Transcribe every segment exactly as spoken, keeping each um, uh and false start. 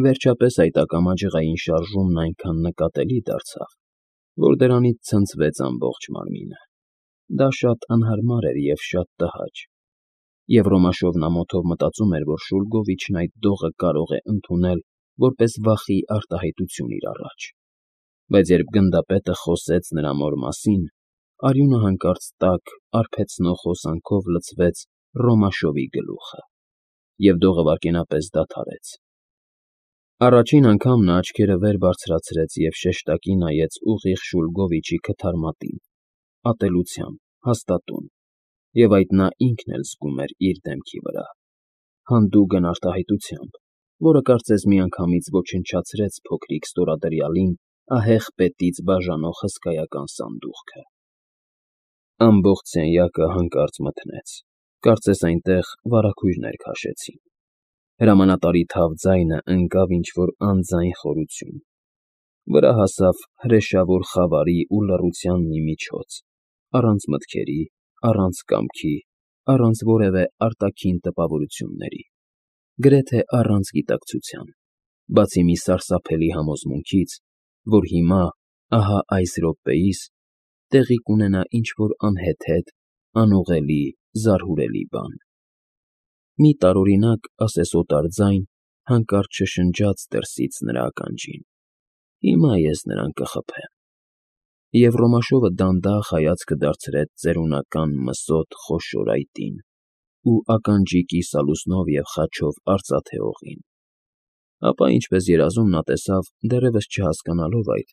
Վերջապես այդ ակամա ջղային շարժումն այնքան նկատելի դարձավ, որ դրանից ցնցվեց ամբողջ մարմինը. դա շատ անհարմար էր և շատ տհաճ, և Ռոմաշովն ամոթով մտածում էր, որ Շուլգովիչն այդ դողը կարող է ընդունել որպես վախի արտահայտություն իր առաջ, բայց երբ գնդապետը խոսեց նրա մոր մասին, արյունը հանկարծ տաք, արբեցնող հոսանքով լցվեց Ռոմաշովի գլուխը, և դողը վայրկենապես դադարեց։ Առաջին անգամ նա աչքերը վեր բարձրացրեց և շեշտակի նայեց ուղիղ Շուլգովիչի քթարմատին, ատելությամբ, հաստատուն, և այդ նա ինքն էլ զգում էր իր դեմքի վրա, հանդուգն արտահայտությամբ, որը կարծես միանգամից ոչնչացրեց փոքրիկ ստորադրյալին ահեղ պետից բաժանող հսկայական սանդուղքը։ Ամբողջ սենյակը հանկարծ մթնեց, կարծես այնտեղ վարագույրներ քաշեցին։ Հրամանատարի թավ ձայնը ընկավ ինչ֊որ անձայն խորություն, վրա հասավ հրեշավոր խավարի ու լռության մի միջոց, առանց մտքերի, առանց կամքի, առանց որևէ արտաքին տպավորությունների, գրեթե առանց գիտակցության, բացի մի սարսափելի համոզմունքից, որ հիմա, ահա այս րոպեիս, տեղի կունենա ինչ֊որ անհեթեթ, անուղղելի, զարհուրելի բան։ Մի տարօրինակ ասեսոտար ձայն հանկարծ շշնջաց դրսից նրա ականջին. «Հիմա ես նրան կխփեմ»։ Եվ Ռոմաշովը դանդաղ հայացքը դարձրեց ծերունական մսոտ խոշոր այտին ու ականջի կիսալուսնով և խաչով արծաթե օղին։ Ապա, ինչպես երազում, նա տեսավ, դեռևս չհասկանալով այդ,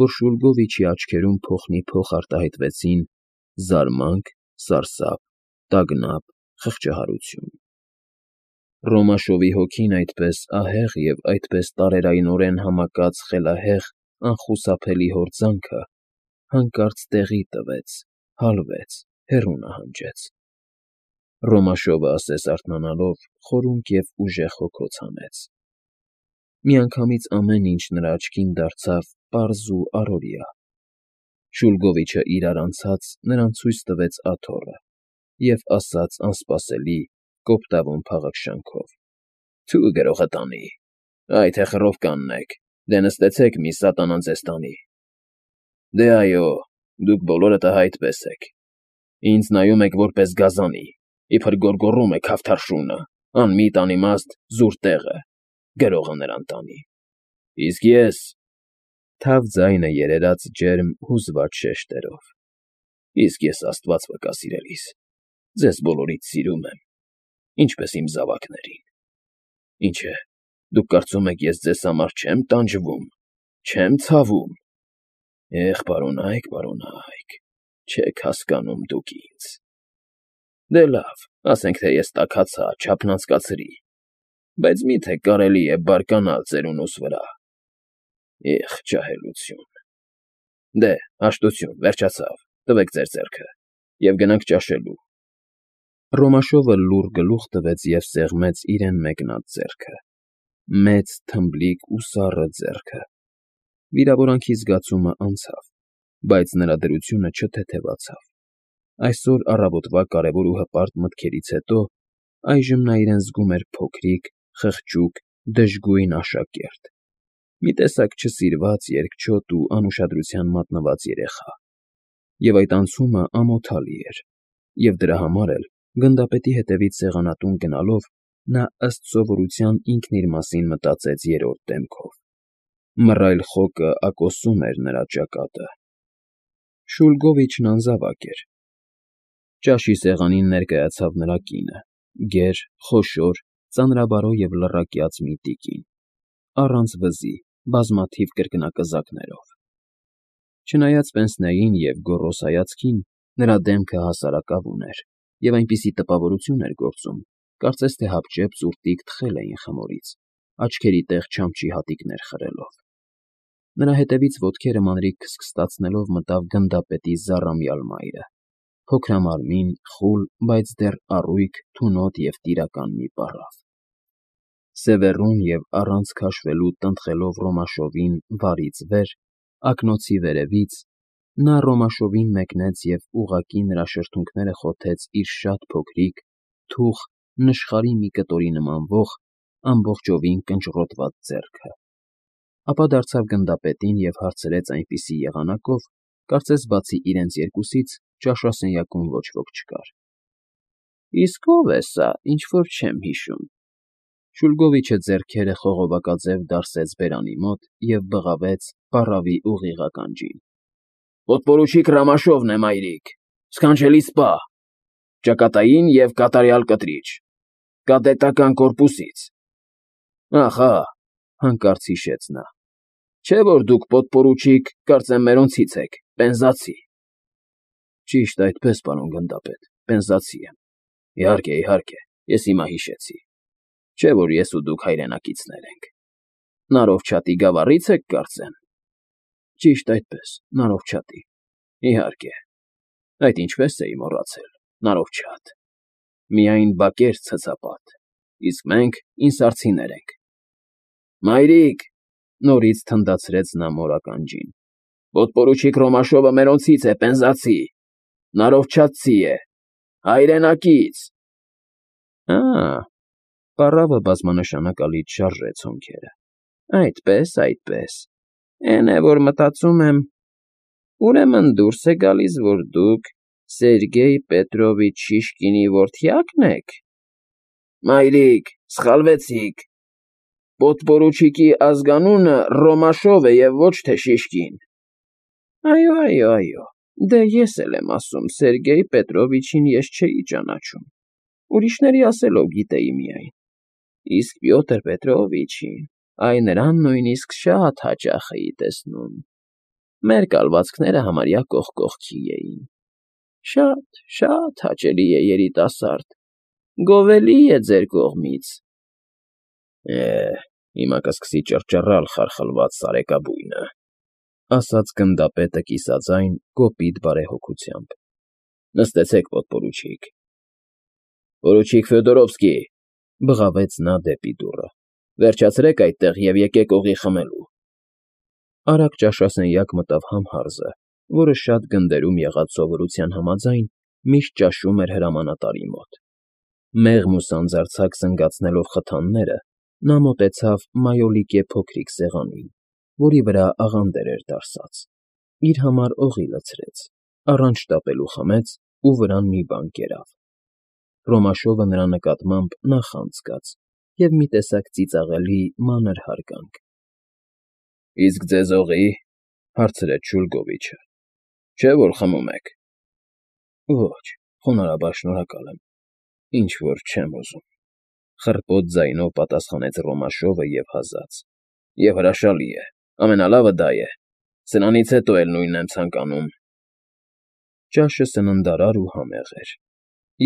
որ Շուլգովիչի աչքերում փոխնիփոխ արտահայտվեցին զարմանք, սարսափ, տագնապ, խղճահարություն։ Ռոմաշովի հոգին այդպես ահեղ և այդպես տարերայնորեն համակած խելահեղ, անխուսափելի հորձանքը հանկարծ տեղի տվեց, հալվեց, հեռու նահանջեց։ Ռոմաշովը, ասես արթնանալով, խորունկ և ուժեղ հոգոց հանեց։ Միանգամից ամեն ինչ նրա աչքին դարձավ պարզ ու առօրյա։ Շուլգովիչը իրար անցած նրան ցույց տվեց աթոռը և ասաց անսպասելի, կոպտավուն փաղաքշանքով. «Թո՛ւ գրողը տանի, այ թե խռովկանն եք, դե նստեցեք, մի սատանա ձեզ տանի։ Դե այո, դուք բոլորդ ահա այդպես եք, ինձ նայում եք որպես գազանի, իբր գոռգոռում է քավթարշունը, անմիտ, անիմաստ, զուր տեղը, գրողը նրան տանի։ Իսկ ես…» Թավ ձայնը երերաց ջերմ, հուզված շեշտերով։ «Իսկ ես, աստված վկա, սիրելիս, ձեզ բոլորիդ սիրում եմ, ինչպես իմ զավակներին։ Ինչ է, դուք կարծում եք, ես ձեզ համար չեմ տանջվում, չեմ ցավում… Էհ, պարոնա՛յք, պարոնա՛յք, չեք հասկանում դուք ինձ… Դե լավ, ասենք թե ես տաքացա, չափնացկացրի, բայց մի՞թե կարելի է բարկանալ ծերունուս վրա… Էհ, ջահելություն… Դե, հաշտություն, վերջացավ, տվեք ձեր ձեռքը, և գնանք ճաշելու»։ Ռոմաշովը լուռ գլուխ տվեց և սեղմեց իրեն մեկնած ձեռքը, մեծ, թմբլիկ ու սառը ձեռքը։ Վիրավորանքի զգացումը անցավ, բայց նրա դրությունը չթեթևացավ։ Այսօր առավոտվա կարևոր ու հպարտ մտքերից հետո այժմ նա իրեն զգում էր փոքրիկ, խղճուկ, դժգույն աշակերտ, մի տեսակ չսիրված, երկչոտ ու անուշադրության մատնված երեխա, և այդ անցումը ամոթալի էր, և դրա համար էլ, գնդապետի հետևից սեղանատուն գնալով, նա ըստ սովորության ինքն իր մասին մտածեց երրորդ դեմքով. մռայլ խոկը ակոսում էր նրա ճակատը։ Շուլգովիչն անզավակ էր։ Ճաշի սեղանին ներկայացավ նրա կինը՝ գեր, խոշոր, ծանրաբարո և լռակյաց մի տիկին, առանց վզի, բազմաթիվ կրկնակզակներով։ Չնայած պենսնեին և գոռոզ հայացքին, նրա դեմքը հասարակավուն էր և այնպիսի տպավորություն էր գործում, կարծես թե հապճեպ ծուրտիկ թխել էին խմորից, աչքերի տեղ չամչի հատիկներ խրելով։ Նրա հետևից ոտքերը մանրիկ քստքստացնելով մտավ գնդապետի զառամյալ մայրը, փոքրամարմին, խուլ, բայց դեռ առույգ, թունոտ և տիրական մի պառավ։ Սևեռուն և առանց քաշվելու տնտղելով Ռոմաշովին վարից վեր, ակնոցի վերևից, նա Ռոմաշովին մեկնեց և ուղղակի նրա շրթունքները խոթեց իր շատ փոքրիկ, թուխ, նշխարի մի կտորի նման ոխ, ամբողջովին կնճռոտված ձեռքը, ապա դարձավ գնդապետին և հարցրեց այնպիսի եղանակով, կարծես բացի իրենց երկուսից ճաշասենյակում ոչ ոք չկար. Իսկ ո՞վ է սա, ինչ֊որ չեմ հիշում։ Շուլգովիչը ձեռքերը խողովակաձև դարսեց բերանի մոտ և բղավեց պառավի ուղիղ ականջին. Պոդպորուչիկ Ռամաշովն է, մայրիկ, սքանչելի սպա, ճակատային և կատարյալ կտրիչ, կադետական կորպուսից։ Ախա, հանկարծ հիշեց նա, չէ՞ որ դուք պոդպորուչիկ, կարծեմ մերոնցից եք, պենզացի։ Ճիշտ այդպես, պարոն գնդապետ, պենզացի եմ։ Իհարկե, իհարկե, ես հիմա հիշեցի, չէ՞ որ ես ու դուք հայրենակիցներ ենք։ Նարովչատի գավառի՞ց եք, կարծեմ։ Ճիշտ այդպես, Նարովչատի, իհարկե, այդ ինչպես էի մոռացել, Նարովչատ, միայն բակեր ցցապատ, իսկ մենք ինսարցիներ ենք։ Մայրիկ, նորից թնդացրեց նա մոր ականջին, պոդպորուչիկ Ռոմաշովը մերոնցից է, պենզացի, նարովչացի է, հայրենակից։ Ա, պառավը բազմանշանակալից շարժեց հոնքերը։ Այդպես, այդպես, էն է, որ մտածում եմ, ուրեմն դուրս է գալիս, որ դուք Սերգեյ Պետրովիչ Շիշկինի որդյա՞կն եք։ Մայրիկ, սխալվեցիք, պոդպորուչիկի ազգանունը Ռոմաշով է և ոչ թե Շիշկին։ Այո, այո, այո, դե ես էլ եմ ասում, Սերգեյ Պետրովիչին ես չէի ճանաչում, ուրիշների ասելով գիտեի միայն, իսկ Պյոտր Պետրովիչին, այ նրան նույնիսկ շատ հաճախ էի տեսնում, մեր կալվածքները համարյա կողք կողքի էին, շատ, շատ հաճելի է երիտասարդ, գովելի է ձեր կողմից։ Է, հիմա կսկսի ճռճռալ խարխլված սարեկաբույնը, ասաց գնդապետը կիսաձայն կոպիտ բարեհոգությամբ։ Նստեցեք, պոդպորուչիկ։ Պորուչիկ Ֆյոդորովսկի, բղավեց նա դեպի դուռը, վերջացրեք այդտեղ և եկեք օղի խմելու։ Արագ ճաշասենյակ մտավ Համհարզը, որը շատ գնդերում եղած սովորության համաձայն միշտ ճաշում էր հրամանատարի մոտ։ Մեղմ ու սանձարձակ զնգացնելով խթանները, նա մոտեցավ մայոլիկե փոքրիկ սեղանին, որի վրա աղանդեր էր դարսած, իր համար օղի լցրեց, առանց շտապելու խմեց ու վրան մի բան կերավ։ Ռոմաշովը նրա նկատմամբ նախանձ զգաց և մի տեսակ ծիծաղելի մանր հարգանք։ Իսկ ձեզ օղի՞, հարցրեց Շուլգովիչը, չէ՞ որ խմում եք։ Ոչ, խոնարհաբար շնորհակալ եմ, ինչ֊որ չեմ ուզում, խռպոտ ձայնով պատասխանեց Ռոմաշովը և հազաց։ Եվ հրաշալի է, ամենալավը դա է, սրանից հետո էլ նույնն եմ ցանկանում։ Ճաշը սննդարար ու համեղ էր։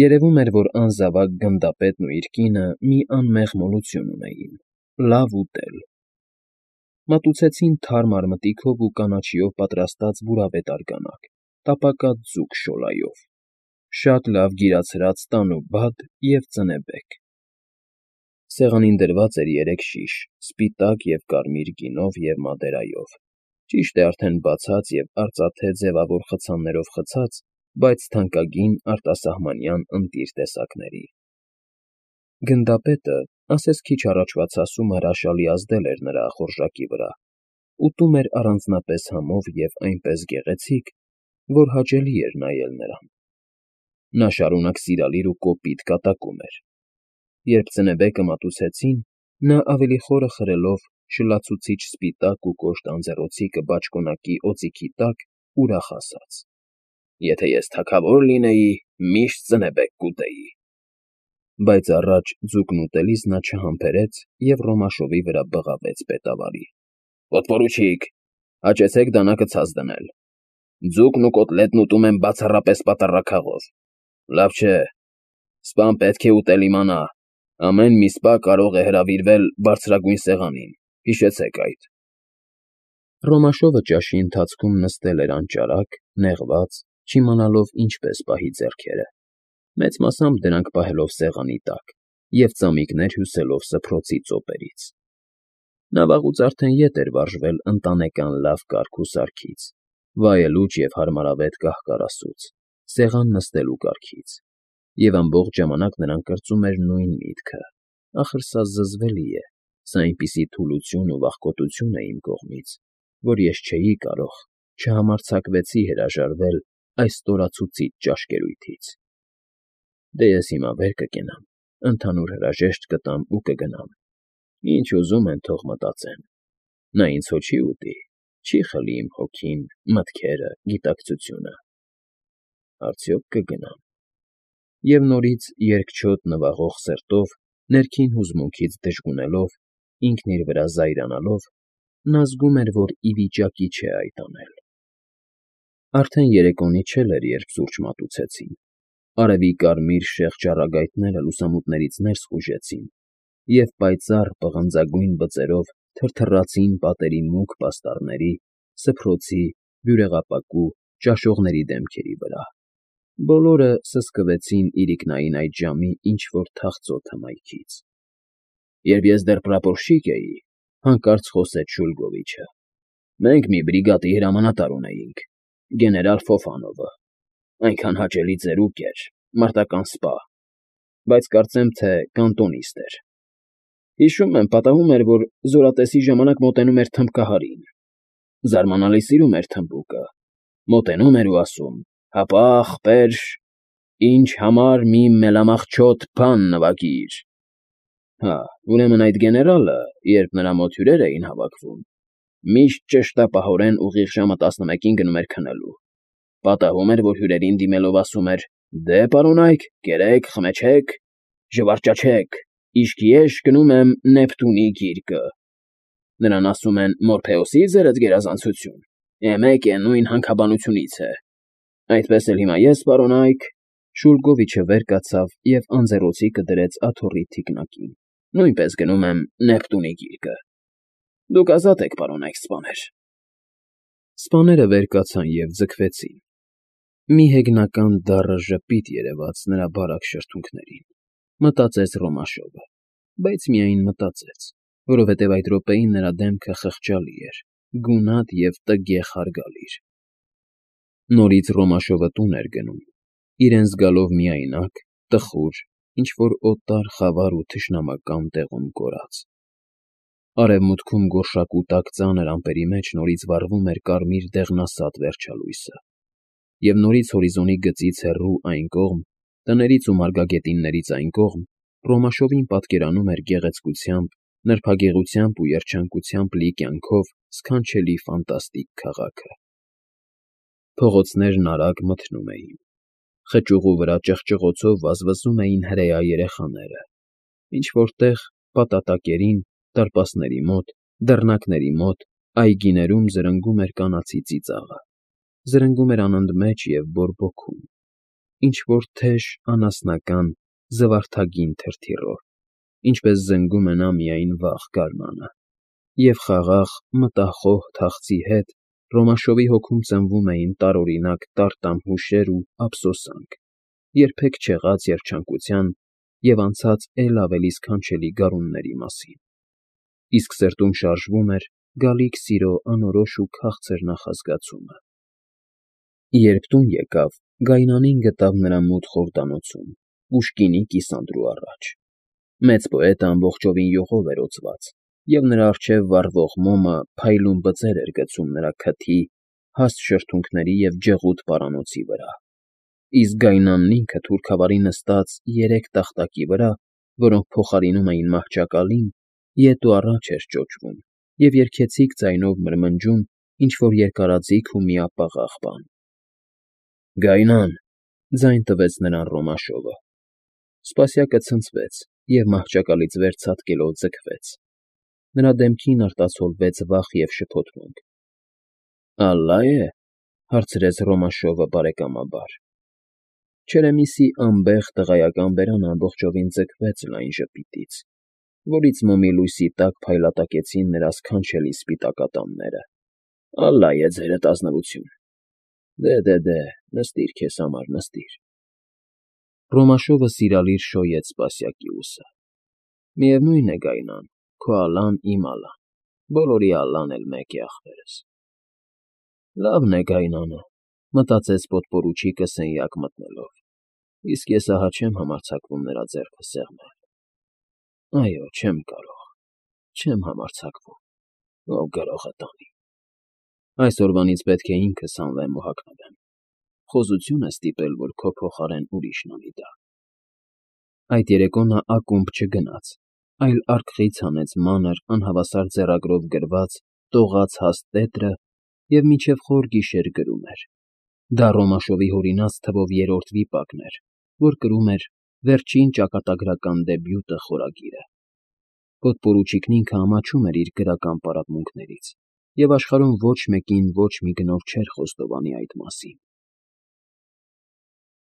Երևում էր, որ անզավակ գնդապետն ու իր կինը մի անմեղ մոլություն ունեին, լավ ուտել։ Մատուցեցին թարմ արմտիքով ու կանաչիով պատրաստած բուրավետ արգանակ, տապակած ձուկ շոլայով, շատ լավ գիրացրած տանու բադ և ծնեբեք։ Սեղանին դրված էր երեք շիշ, սպիտակ և կարմիր գինով և մադերայով, ճիշտ է արդեն բացած և արծաթե ձևավոր խցաններով խցած, բայց թանկագին արտասահմանյան ընտիր տեսակների։ Գնդապետը, ասես քիչ առաջվա ցասումը հրաշալի ազդել էր նրա ախորժակի վրա, ուտում էր առանձնապես համով և այնպես գեղեցիկ, որ հաճելի էր նայել նրան։ Նա շարունակ սիրալիր ու կոպիտ կատակում էր։ Երբ ծնեբեկը մատուցեցին, նա ավելի խորը խրելով շլացուցիչ սպիտակ ու կոշտ անձեռոցիկը բաճկոնակի օձիքի տակ ուրախ ասաց. Եթե ես թագավոր լինեի, միշտ ծնեբեք կուտեի։ Բայց առաջ ձուկն ուտելիս նա չհամբերեց և Ռոմաշովի վրա բղավեց պետավարի. Պոդպորուչիկ, հաճեցեք դանակը ցած դնել։ Ձուկն ու կոտլետն ուտում եմ բացառապես պատառաքաղով։ Լավ չէ, սպան պետք է ուտել իմանա, ամեն մի սպա կարող է հրավիրվել բարձրագույն սեղանին, հիշեցեք այդ։ Ռոմաշովը ճաշի ընթացքում նստել էր անճարակ, նեղված, չիմանալով ինչպես պահի ձեռքերը, մեծ մասամբ դրանք պահելով սեղանի տակ և ծամիկներ հյուսելով սփռոցի ծոպերից։ Նա վաղուց արդեն ետ էր վարժվել ընտանեկան լավ կարգ ու սարքից, վայելուչ և հարմարավետ կահ֊կարասուց, սեղան նստելու կարգից, և ամբողջ ժամանակ նրան կրծում էր նույն միտքը. Ախր սա զզվելի է, սա այնպիսի թուլություն ու վախկոտություն է իմ կողմից, որ ես չէի կարող, չհամարձակվեցի հրաժարվել այս ստորացուցիչ ճաշկերույթից։ Դե ես հիմա վեր կկենամ, ընդհանուր հրաժեշտ կտամ ու կգնամ, ինչ ուզում են թող մտածեն, նա ինձ հո չի ուտի, չի խլի իմ հոգին, մտքերը, գիտակցությունը, արդյոք կգնամ… Եվ նորից երկչոտ նվաղող սրտով, ներքին հուզմունքից դժգունելով, ինքն իր վրա զայրանալով, նա զգում էր, որ ի վիճակի չէ այդ անել… Արդեն երեկոնի չէր, երբ սուրճ մատուցեցին, արևի կարմիր շեղ ճառագայթները լուսամուտներից ներս խուժեցին և պայծառ պղնձագույն բծերով թրթռացին պատերի մուգ պաստառների, սփռոցի, բյուրեղապակու, ճաշողների դեմքերի վրա… Բոլորը սսկվեցին իրիկնային այդ ժամի ինչ֊որ թախծոտ հմայքից։ ֊ Երբ ես դեռ պրապորշչիկ էի,֊ հանկարծ խոսեց Շուլգովիչը,֊ մենք մի բրիգադի հրամանատար ունեինք՝ գեներալ Ֆոֆանովը, այնքան հաճելի ծերուկ էր, մարտական սպա, բայց կարծեմ թե կանտոնիստ էր… Հիշում եմ, պատահում էր, որ զորատեսի ժամանակ մոտենում էր թմբկահարին, զարմանալի սիրում էր թմբուկը, մոտենում էր ու ասում. «Հապա, ախպեր, ինձ համար մի մելամաղձոտ բան նվագիր»… Հա, ուրեմն այդ գեներալը, երբ նրա մոտ հյուրեր էին հավաքվում, միշտ ճշտապահորեն ուղիղ ժամը տասնմեկին գնում էր քնելու, պատահում էր, որ հյուրերին դիմելով ասում էր. «Դե, պարոնայք, կերեք, խմեցեք, զվարճաչեք, իսկ ես գնում եմ Նեպտունի գիրկը»… Նրան ասում են Մորփեոսի՞ ձերդ գերազանցություն, է մեկ է, նույն հանքաբանությունից է… Այդպես էլ հիմա ես, պարոնայք… Շուլգովիչը վեր կացավ և անձեռոցիկը դրեց աթոռի թիկնակին, նույնպես գնում եմ Նեպտունի գիրկը… Դուք ազատ եք, պարոնայք սպաներ… Սպաները վեր կացան և ձգվեցին… Մի հեգնական դառը ժպիտ երևաց նրա բարակ շրթունքներին, մտածեց Ռոմաշովը, բայց միայն մտածեց, որովհետև այդ րոպեին նրա դեմքը խղճալի էր, գունատ և տգեղ հարգալիր… Նորից Ռոմաշովը տուն էր գնում, իրեն զգալով միայնակ, տխուր, ինչ֊որ օտար, խավար ու թշնամական տեղում կորած… Արևմուտքում գորշակուտակ ծանր ամպերի մեջ նորից վառվում էր կարմիր դեղնասատ վերջալույսը, և նորից հորիզոնի գծից հեռու այն կողմ, տներից ու մարգագետիններից այն կողմ, Ռոմաշովին պատկերանում էր գեղեցկությամբ, նրբագեղությամբ ու երջանկությամբ լի կյանքով սքանչելի ֆանտաստիկ քաղաքը… Փողոցներն արագ մթնում էին, խճուղու վրա ճղճղոցով վազվզում էին հրեա երեխաները, ինչ֊որ տեղ, պատատակերին, դարպասների մոտ, դռնակների մոտ, այգիներում զրնգում էր կանացի ծիծաղը, զրնգում էր անընդմեջ և բորբոքում, ինչ֊որ թեժ, անասնական, զվարթագին թրթիռով, ինչպես զնգում է նա միայն վաղ գարնանը… Եվ խաղաղ, մտախոհ թախծի հետ Ռոմաշովի հոգում ծնվում էին տարօրինակ տարտամ հուշեր ու ափսոսանք, երբեք չեղած երջանկության և անցած էլ ավելի սքանչելի գարունների մասին, իսկ սրտում շարժվում էր գալիք սիրո անորոշ ու քաղցր նախազգացումը… Երբ տուն եկավ, գայնանին գտավ նրա մութ խորհրդանոցում, պուշկինի կիսանդրու առաջ… Մեծ պոետը ամբողջովին յուղով էր օծված, և նրա առջև վառվող մոմը փայլուն բծեր էր գցում նրա քթի, հաստ շրթունքների և ջղուդ պարանոցի վրա, իսկ գայնանն ինքը թուրքավարի նստած երեք տախտակի վրա, որոնք փոխարինում էին մահճակալին, ետ ու առաջ էր ճոճվում և երգեցիկ ձայնով մրմնջում ինչ֊որ երկարաձիգ ու միապաղաղ բան… ֊ Գայնան,֊ ձայն տվեց նրան Ռոմաշովը… Սպասյակը ցնցվեց և մահճակալից վեր ցատկելով ձգվեց… Նրա դեմքին արտացոլվեց վախ և շփոթմունք։ ֊ Ալլա է,֊ հարցրեց Ռոմաշովը բարեկամաբար… Չերեմիսի անբեղ տղայական բերանը ամբողջովին ձգվեց լայն ժպիտից, որից մոմի լույսի տակ փայլատակեցին նրա սքանչելի սպիտակ ատամները։ ֊ Ալլա է ձերդ, ազնվություն… Դե, դե, դե, նստիր քեզ համար, նստիր… Ռոմաշովը սիրալիր շոյեց սպասյակի ուսը։ Միևնույն է, Գայնան, քո ալլան իմ ալլան, բոլորի ալլան էլ մեկ է, ախպերս… Լավն է գայնանը,֊ մտածեց պոդպորուչիկը սենյակ մտնելով,֊ իսկ ես ահա չեմ համարձակվում նրա ձեռքը սեղմել… Այո, չեմ կարող, չեմ համարձակվում, ով գրողը տանի։ Այսօրվանից պետք է ինքս հանվեմ ու հագնվեմ, խոզություն է ստիպել, որ քո փոխարեն ուրիշն անի դա։ Այդ երեկո նա ակումբ չգնաց, այլ արկղից հանեց մանր, անհավասար ձեռագրով գրված, տողաց հաստ տետրը և մինչև խոր գիշեր գրում էր. դա Ռոմաշովի հորինած թվով երրորդ վիպակն էր, որ կրում էր «Վերջին ճակատագրական դեբյուտը» խորագիրը։ Պոդպորուչիկն ինքը ամաչում էր իր գրական պարապմունքներից, և աշխարհում ոչ մեկին ոչ մի գնով չէր խոստովանի այդ մասին։